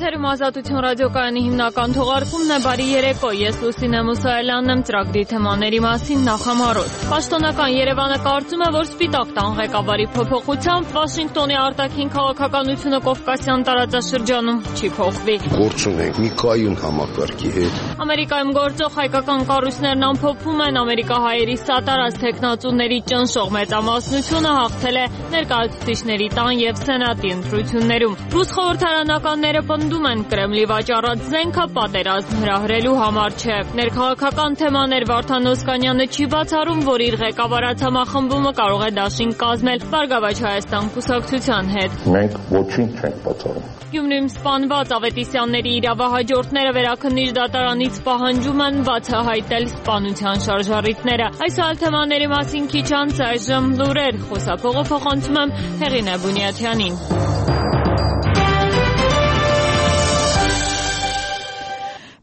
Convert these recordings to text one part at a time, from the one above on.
Եթերում Ազատություն ռադիոկայանի հիմնական թողարկումն է։ Բարի երեկո, ես Լուսինե Մուսայելյանն եմ, ծրագրի թեմաների մասին նախամարոտ։ Պաշտոնական Երևանը կարծում է, որ Սպիտակ տան ղեկավարի փոփոխությամբ Վաշինգտոնի արտաքին քաղաքականությունը Կովկասյան տարածաշրջանում չի փոխվի։ Գործ ունենք մի կայուն համակարգի հետ։ Ամերիկայում գործող հայկական կառույցներն ամփոփում են, ամերիկահայերի սատարած թեկնածուների ճնշող մեծամասնությունը հաղթել է ներկայացուցիչների տան եւ սենատի ընտրություններում։ Ռուս խորհրդարանականները պնդում են, Կրեմլի վաճառած զենքը պատերազմ հրահրելու համար չէ։ Ներքաղաքական թեմաներ Վարդան Օսկանյանը չի բացառում, որ իր ղեկավարած համախմբումը կարող է դաշինք կազմել Բարգավաճ Հայաստան կուսակցության հետ։ Մենք ոչինչ չենք բացառում։ Գյումրիում սպանված Ավետիսյանների իրավահաջորդները վերաքննիչ դատարանից պահանջում են բացահայտել սպանության շարժառիթները։ Այս այլ թեմաների մասին քիչ անց այժմ լուրեր, խոսափողը փոխանցում եմ Հեղինե Բունյաթյանին։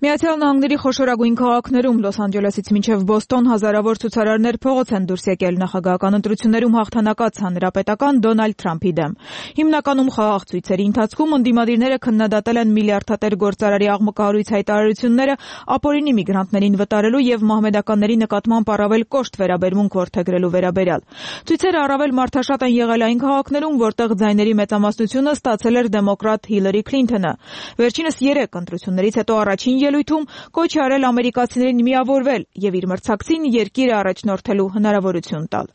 Միացյալ Նահանգների խոշորագույն քաղաքներում Լոս Անջելեսից մինչև Բոստոն հազարավոր ցուցարարներ փողոց են դուրս եկել նախագահական ընտրություններում հաղթանակած հանրապետական Դոնալդ Թրամփի դեմ։ Հիմնականում խաղաղ ցույցերի ընթացքում ընդդիմադիրները քննադատել են միլիարդատեր գործարարի աղմկահարույց հայտարարությունները ապօրինի միգրանտներին վտարելու եւ մահմեդականների նկատմամբ առավել կոշտ վերաբերմունք որդեգրելու վերաբերյալ։ Ցույցերը առավել մարդաշատ են եղել այն քաղաքներում, որտեղ ձայների մեծամասնությունը ստացել էր դեմոկրատ Հիլարի Քլինթոնը։ Վերջինս 3 ընտրություններից հետո առաջին ելույթում կոչ է արել ամերիկացիներին միավորվել եւ իր մրցակցին երկիրը առաջնորդելու հնարավորություն տալ։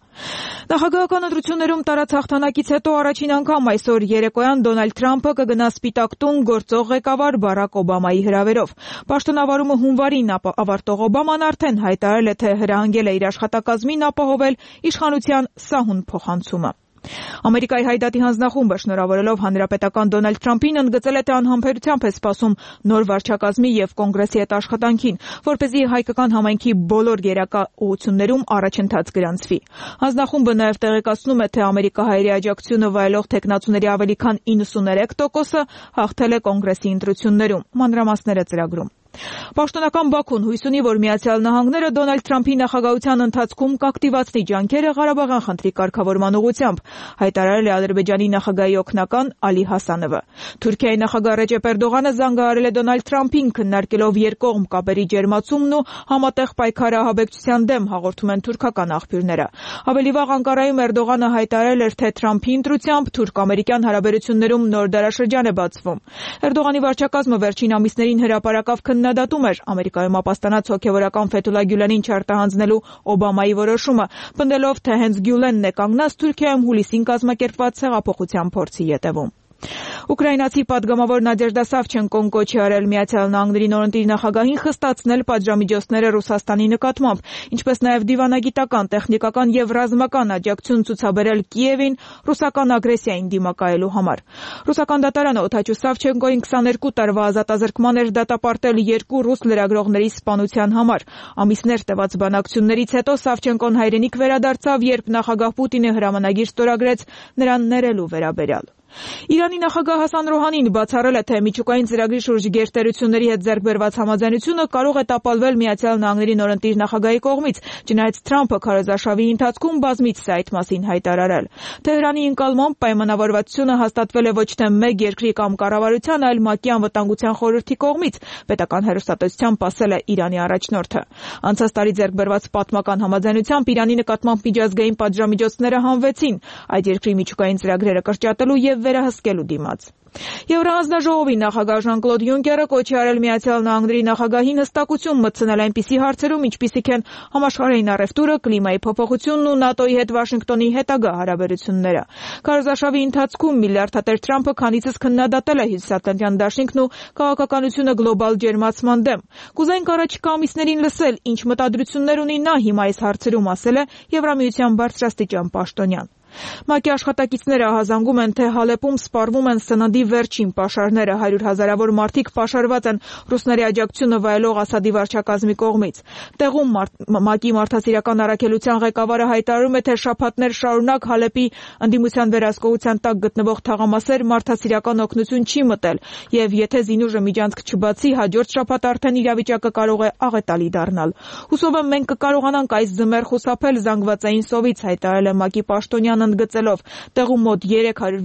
Նախագահական ընտրություններում տարած հաղթանակից հետո առաջին անգամ այսօր երեկոյան Դոնալդ Թրամփը կգնա Սպիտակ տուն գործող ղեկավար Բարակ Օբամայի հրավերով։ Պաշտոնավարումը հունվարին ավարտող Օբաման արդեն հայտարարել է, թե հրահանգել է իր աշխատակազմին ապահովել իշխանության սահուն փոխանցումը։ Ամերիկայի հայդատի հանձնախումբը շնորհավորելով հանրապետական Դոնալդ Թրամփին ընդգծել է, թե անհամբերությամբ է սպասում նոր վարչակազմի եւ կոնգրեսի հետ աշխատանքին, որպեսզի հայկական համայնքի բոլոր գերակա ուղղություններում առաջընթաց գրանցվի։ Հանձնախումբը նաեւ տեղեկացնում է, թե ամերիկահայերի աջակցությունը վայելող թեկնածուների ավելի քան 93%-ը հաղթել է կոնգրեսի ընտրություններում։ Մանրամասները ծրագրում։ Պաշտոնական Բաքուն հույս ունի, որ Միացյալ Նահանգները Դոնալդ Թրամփի նախագահության ընթացքում կակտիվացնի ջանքերը Ղարաբաղյան խնդրի կարգավորման ուղղությամբ, հայտարարել է Ադրբեջանի նախագահի օգնական Ալի Հասանովը։ Թուրքիայի նախագահ Ռեջեփ Էրդողանը զանգահարել է Դոնալդ Թրամփին, քննարկելով երկկողմ կապերի ջերմացումն ու համատեղ պայքարը ահաբեկչության դեմ, հաղորդում են թուրքական աղբյուրները։ Ավելի վաղ Անկարայում Էրդողանը հայտարարել էր, թե Թրամփի ընտրությամբ թուրք-ամերիկյան հարաբերություններում նոր դարաշրջան է բացվում։ Էրդողանի վարչակազմը վերջին ամիսներին հրապարակավ քննադատում էր Ամերիկայում ապաստանած հոգևորական Ֆեթուլա Գյուլենին չարտահանձնելու Օբամայի որոշումը, պնդելով, թե հենց Գյուլենն է կանգնած Թուրքիայում հուլիսին կազմակերպված հեղափոխության փորձի ետևում։ Ուկրաինացի պատգամավոր Նադեժդա Սավչենկոն կոչ է արել Միացյալ Նահանգների նորընտիր նախագահին խստացնել պատժամիջոցները Ռուսաստանի նկատմամբ, ինչպես նաև դիվանագիտական, տեխնիկական եւ ռազմական աջակցություն ցուցաբերել Կիևին ռուսական ագրեսիային դիմակայելու համար։ Ռուսական դատարանը Օթաչու Սավչենկոին 22 տարվա ազատազրկման էր դատապարտել 2 ռուս լրագրողների սպանության համար։ Ամիսներ տևած բանակցություններից հետո Սավչենկոն հայրենիք վերադարձավ, երբ նախագահ Պուտինը հրամանագիր ստորագրեց նրան ներելու վերաբերյալ։ Իրանի նախագահ Հասան Ռոհանին բացառել է, թե միջուկային ծրագրի շուրջ գերտերությունների հետ ձեռք բերված համաձայնությունը կարող է տապալվել Միացյալ Նահանգների նորընտիր նախագահի կողմից, չնայած Թրամփը քարոզարշավի ընթացքում բազմիցս է այդ մասին հայտարարել։ Թեհրանի ընկալմամբ պայմանավորվածությունը հաստատվել է ոչ թե մեկ երկրի կամ կառավարության, այլ ՄԱԿ-ի անվտանգության խորհրդի կողմից, պետական հեռուստատեսությամբ ասել է Իրանի առաջնորդը։ Անցած տարի ձեռք բերված պատմական համաձայնությամբ Իրանի նկատմամբ միջազգային պատժամիջոցները հանվեցին այդ երկրի միջուկային ծրագրերը կրճատելու եւ վերահսկելու դիմաց։ Եվրահանձնաժողովի նախագահ Ժան-Կլոդ Յունկերը կոչ է արել Միացյալ Նահանգների նախագահին հստակություն մտցնել այնպիսի հարցերում, ինչպիսիք են համաշխարհային առևտուրը, կլիմայի փոփոխությունն ու ՆԱՏՕ-ի հետ Վաշինգտոնի հետագա հարաբերությունները։ Քարոզարշավի ընթացքում միլիարդատեր Թրամփը քանիցս քննադատել է Հյուսիսատլանտյան դաշինքն ու քաղաքականությունը գլոբալ ջերմացման դեմ։ Կուզենք առաջիկա ամիսներին լսել, ինչ մտադրություններ ունի նա հիմա այս հարցերում, ասել է Եվրամիության բարձրաստիճան պաշտոնյան։ ՄԱԿ-ի աշխատակիցները ահազանգում են, թե Հալեպում սպառվում են սննդի վերջին պաշարները, 100 հազարավոր մարդիկ պաշարված են ռուսների աջակցությունը վայելող Ասադի վարչակազմի կողմից։ Տեղում ՄԱԿ-ի մարդասիրական առաքելության ղեկավարը հայտարարում է, թե շաբաթներ շարունակ Հալեպի ընդդիմության վերահսկողության տակ գտնվող թաղամասեր մարդասիրական օգնություն չի մտել, եւ եթե զինուժը միջանցք չբացի, հաջորդ շաբաթ արդեն իրավիճակը կարող է աղետալի դառնալ։ Հուսով եմ մենք կկարողանանք այս ձմեռ խուսափել զանգվածային սովից, հայտարարել է ՄԱԿ-ի պաշտոնյան ընդգծելով, տեղում մոտ 300